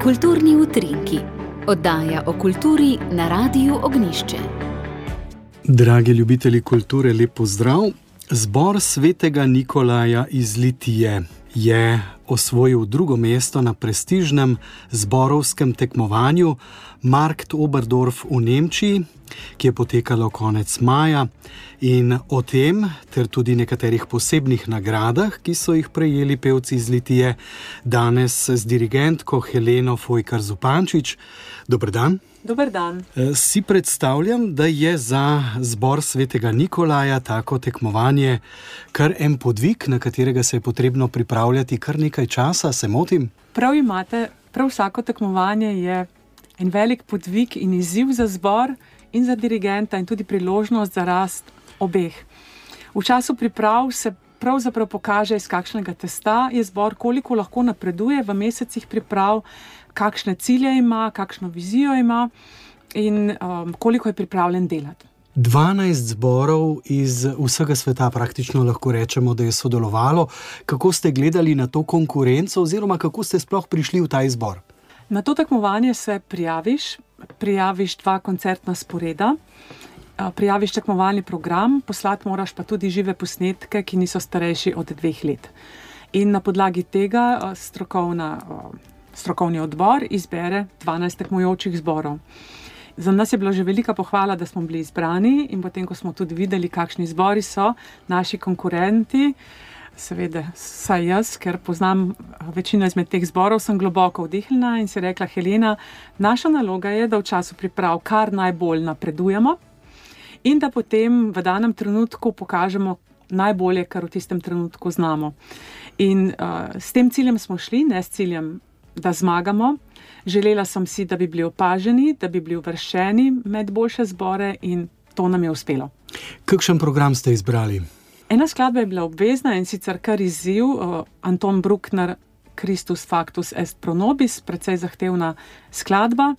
Kulturni utrinki, oddaja o kulturi na Radiu Ognjišče. Dragi ljubitelji kulture, lep pozdrav. Zbor svetega Nikolaja iz Litije je osvojil drugo mesto na prestižnem zborovskem tekmovanju Markt Oberdorf v Nemčiji, ki je potekalo konec maja, in o tem ter tudi nekaterih posebnih nagradah, ki so jih prejeli pevci iz Litije, danes z dirigentko Heleno Fojkar-Zupančič. Dober dan. Dober dan. Si predstavljam, da je za zbor svetega Nikolaja tako tekmovanje kar en podvig, na katerega se je potrebno pripravljati kar nekaj časa, se motim? Prav imate, prav vsako tekmovanje je en velik podvig in izziv za zbor in za dirigenta in tudi priložnost za rast obeh. V času priprav se pravzaprav pokaže, iz kakšnega testa je zbor, koliko lahko napreduje v mesecih priprav, kakšne cilje ima, kakšno vizijo ima in koliko je pripravljen delati. 12 zborov iz vsega sveta praktično lahko rečemo, da je sodelovalo. Kako ste gledali na to konkurenco oziroma kako ste sploh prišli v ta izbor? Na to tekmovanje se prijaviš 2 koncertna sporeda, prijaviš tekmovalni program, poslati moraš pa tudi žive posnetke, ki niso starejši od 2 let. In na podlagi tega strokovni odbor izbere 12 tekmujočih zborov. Za nas je bila že velika pohvala, da smo bili izbrani, in potem, ko smo tudi videli, kakšni zbori so naši konkurenti, seveda saj jaz, ker poznam večino izmed teh zborov, sem globoko vdihnila in si rekla: Helena, naša naloga je, da v času priprav kar najbolj napredujemo in da potem v danem trenutku pokažemo najbolje, kar v tistem trenutku znamo. In s tem ciljem smo šli, ne s ciljem, da zmagamo. Želela sem si, da bi bili opaženi, da bi bili uvrščeni med boljše zbore, in to nam je uspelo. Kakšen program ste izbrali? Ena skladba je bila obvezna, in sicer kar izziv, Anton Bruckner, Christus factus est pro nobis, precej zahtevna skladba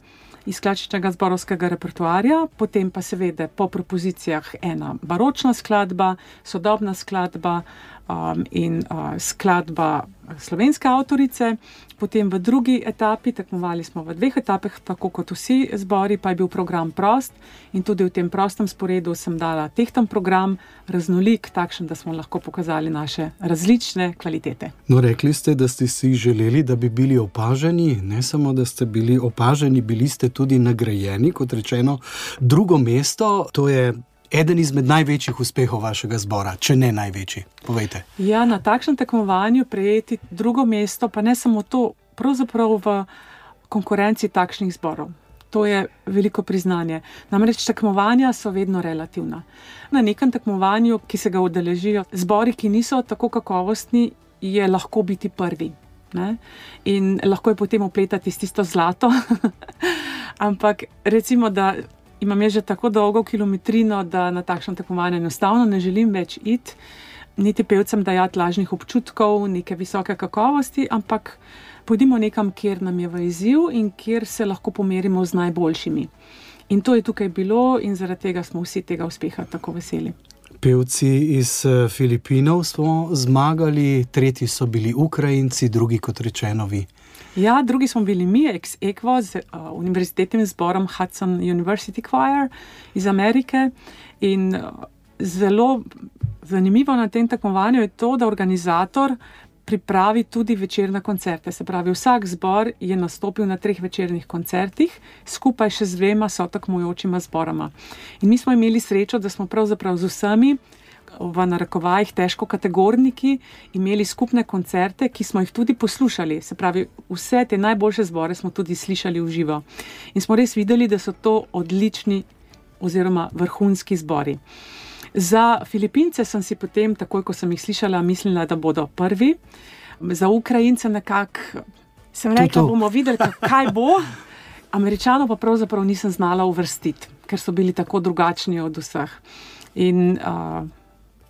iz klasičnega zborovskega repertoarja, potem pa seveda po propozicijah ena baročna skladba, sodobna skladba in skladba slovenske avtorice. Potem v drugi etapi, tekmovali smo v 2 etapah, tako kot vsi zbori, pa je bil program prost, in tudi v tem prostem sporedu sem dala tehten program, raznolik, takšen, da smo lahko pokazali naše različne kvalitete. No, rekli ste, da ste si želeli, da bi bili opaženi, ne samo, da ste bili opaženi, bili ste tudi nagrajeni, kot rečeno, drugo mesto, to je eden izmed največjih uspehov vašega zbora, če ne največji. Povejte. Ja, na takšnem tekmovanju prejeti drugo mesto, pa ne samo to, pravzaprav v konkurenci takšnih zborov. To je veliko priznanje. Namreč tekmovanja so vedno relativna. Na nekem tekmovanju, ki se ga udeležijo zbori, ki niso tako kakovostni, je lahko biti prvi, ne? In lahko je potem opletati s tisto zlato. Ampak recimo, da imam že tako dolgo kilometrino, da na takšno tekmovanje enostavno ne želim več iti, niti pevcem dajati lažnih občutkov, neke visoke kakovosti, ampak pojdimo nekam, kjer nam je v izziv in kjer se lahko pomerimo z najboljšimi. In to je tukaj bilo in zaradi tega smo vsi tega uspeha tako veseli. Pevci iz Filipinov smo zmagali, tretji so bili Ukrajinci, drugi, kot rečeno, vi. Ja, drugi smo bili mi, ex aequo, z univerzitetnim zborom Hudson University Choir iz Amerike, in zelo zanimivo na tem tekmovanju je to, da organizator pripravi tudi večerne koncerte. Se pravi, vsak zbor je nastopil na 3 večernih koncertih, skupaj še z 2 sotekmujočima zboroma. In mi smo imeli srečo, da smo pravzaprav z vsemi, v narekovajih težko kategorniki, imeli skupne koncerte, ki smo jih tudi poslušali. Se pravi, vse te najboljše zbore smo tudi slišali v živo. In smo res videli, da so to odlični oziroma vrhunski zbori. Za Filipince sem si potem, takoj ko sem jih slišala, mislila, da bodo prvi. Za Ukrajince nekako sem rekla, bomo videli, kaj bo. Američanov pa pravzaprav nisem znala uvrstiti, ker so bili tako drugačni od vseh. In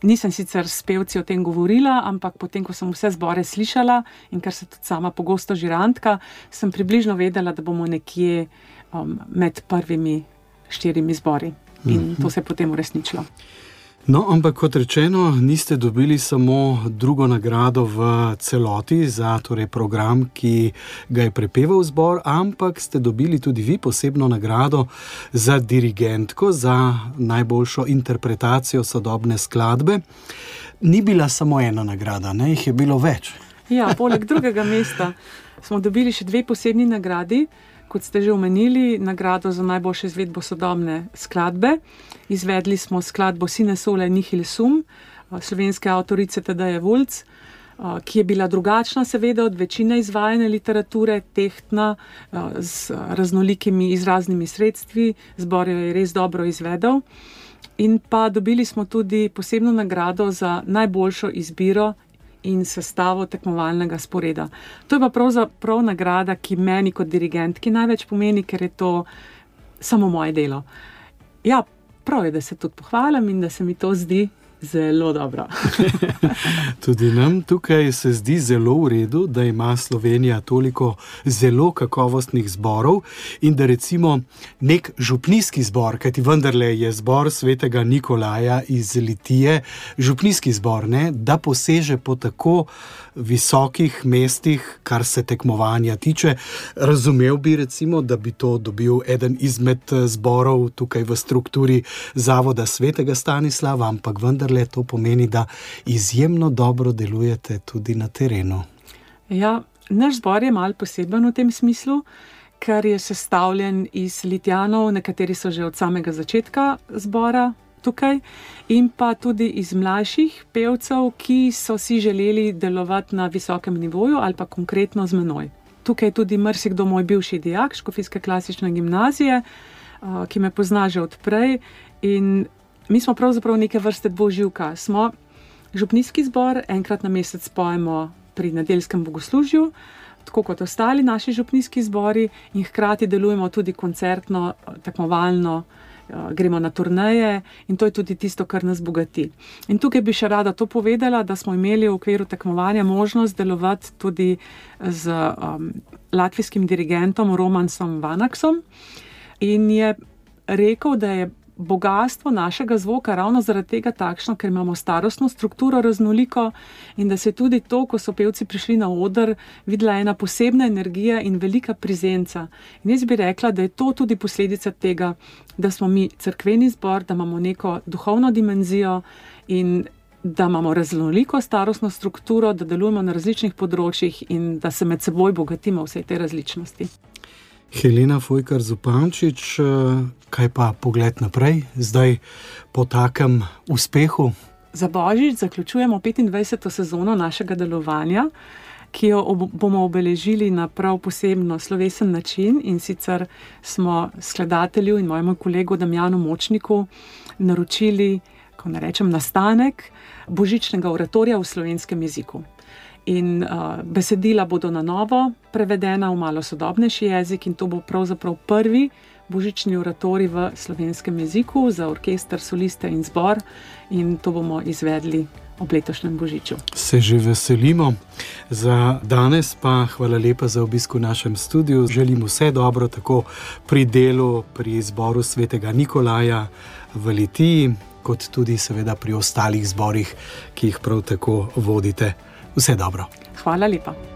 nisem sicer s pevci o tem govorila, ampak potem, ko sem vse zbore slišala in ker sem tudi sama pogosto žirantka, sem približno vedela, da bomo nekje med prvimi 4 zbori. In to se je potem uresničilo. No, ampak kot rečeno, niste dobili samo drugo nagrado v celoti za program, ki ga je prepeval zbor, ampak ste dobili tudi vi posebno nagrado za dirigentko, za najboljšo interpretacijo sodobne skladbe. Ni bila samo ena nagrada, ne? Jih je bilo več. Ja, poleg drugega mesta smo dobili še 2 posebni nagradi. Kot ste že omenili, nagrado za najboljšo izvedbo sodobne skladbe. Izvedli smo skladbo Sine sole nihil sum, slovenske avtorice Tadeje Vulc, ki je bila drugačna seveda od večine izvajane literature, tehtna, z raznolikimi izraznimi sredstvi. Zbor jo je res dobro izvedel. In pa dobili smo tudi posebno nagrado za najboljšo izbiro in sestavo tekmovalnega sporeda. To je pa pravzaprav nagrada, ki meni kot dirigentki največ pomeni, ker je to samo moje delo. Ja, prav je, da se tudi pohvalim in da se mi to zdi zelo dobro. Tudi nam tukaj se zdi zelo v redu, da ima Slovenija toliko zelo kakovostnih zborov in da recimo nek župnijski zbor, kajti vendarle je zbor svetega Nikolaja iz Litije, župnijski zbor, ne, da poseže po tako visokih mestih, kar se tekmovanja tiče. Razumel bi recimo, da bi to dobil eden izmed zborov tukaj v strukturi Zavoda svetega Stanislava, ampak vendarle to pomeni, da izjemno dobro delujete tudi na terenu. Ja, naš zbor je malo poseben v tem smislu, ker je sestavljen iz Litijanov, nekateri so že od samega začetka zbora tukaj, in pa tudi iz mlajših pevcev, ki so si želeli delovati na visokem nivoju ali pa konkretno z menoj. Tukaj je tudi marsikdo moj bivši dijak Škofijske klasične gimnazije, ki me pozna že od prej, in mi smo pravzaprav neke vrste dvoživka. Smo župnijski zbor, enkrat na mesec pojemo pri nedeljskem bogoslužju, tako kot ostali naši župnijski zbori, in hkrati delujemo tudi koncertno, tekmovalno, gremo na turneje in to je tudi tisto, kar nas bogati. In tukaj bi še rada to povedala, da smo imeli v okviru tekmovanja možnost delovati tudi z latvijskim dirigentom Romansom Vanaksom in je rekel, da je bogastvo našega zvoka ravno zaradi tega takšno, ker imamo starostno strukturo raznoliko in da se tudi to, ko so pevci prišli na oder, videla ena posebna energija in velika prezenca. In jaz bi rekla, da je to tudi posledica tega, da smo mi cerkveni zbor, da imamo neko duhovno dimenzijo in da imamo raznoliko starostno strukturo, da delujemo na različnih področjih in da se med seboj bogatimo vse te različnosti. Helena Fojkar Zupančič, kaj pa pogled naprej, zdaj po takem uspehu? Za Božič zaključujemo 25. sezono našega delovanja, ki jo bomo obeležili na prav posebno slovesen način, in sicer smo skladatelju in mojemu kolegu Damjanu Močniku naročili, ko ne rečem, nastanek božičnega oratorija v slovenskem jeziku. In besedila bodo na novo prevedena v malo sodobnejši jezik in to bo pravzaprav prvi božični oratorij v slovenskem jeziku za orkester, soliste in zbor in to bomo izvedli ob letošnjem božiču. Se že veselimo. Za danes pa hvala lepa za obisk v našem studiu. Želim vse dobro tako pri delu, pri zboru svetega Nikolaja v Litiji, kot tudi seveda pri ostalih zborih, ki jih prav tako vodite. Vse dobro. Hvala lepa.